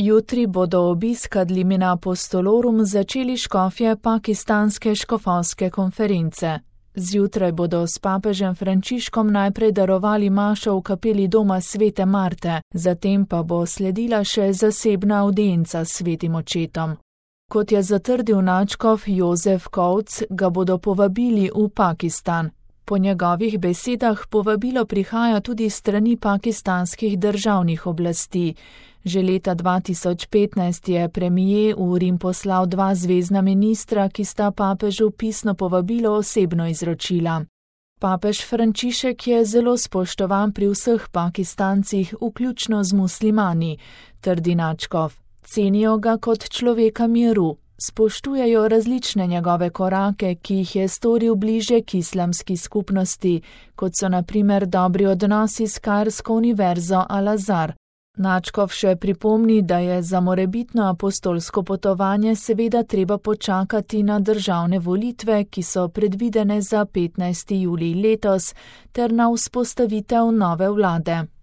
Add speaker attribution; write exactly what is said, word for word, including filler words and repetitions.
Speaker 1: Jutri bodo obisk ad limina apostolorum začeli škofje pakistanske škofovske konference. Zjutraj bodo s papežem Frančiškom najprej darovali mašo v kapeli doma svete Marte, zatem pa bo sledila še zasebna avdienca s svetim očetom. Kot je zatrdil nadškof Jozef Kovc, ga bodo povabili v Pakistan. Po njegovih besedah povabilo prihaja tudi strani pakistanskih državnih oblasti. Že leta dva tisoč petnajst je premijer v Rim poslal dva zvezna ministra, ki sta papežu pisno povabilo osebno izročila. Papež Frančišek je zelo spoštovan pri vseh Pakistancih, vključno z muslimani, trdi nadškof. Cenijo ga kot človeka miru. Spoštujejo različne njegove korake, ki jih je storil bliže k islamski skupnosti, kot so na primer dobri odnosi s Kairsko univerzo Al-Azhar. Nadškof še pripomni, da je za morebitno apostolsko potovanje seveda treba počakati na državne volitve, ki so predvidene za petnajsti julij letos, ter na vzpostavitev nove vlade.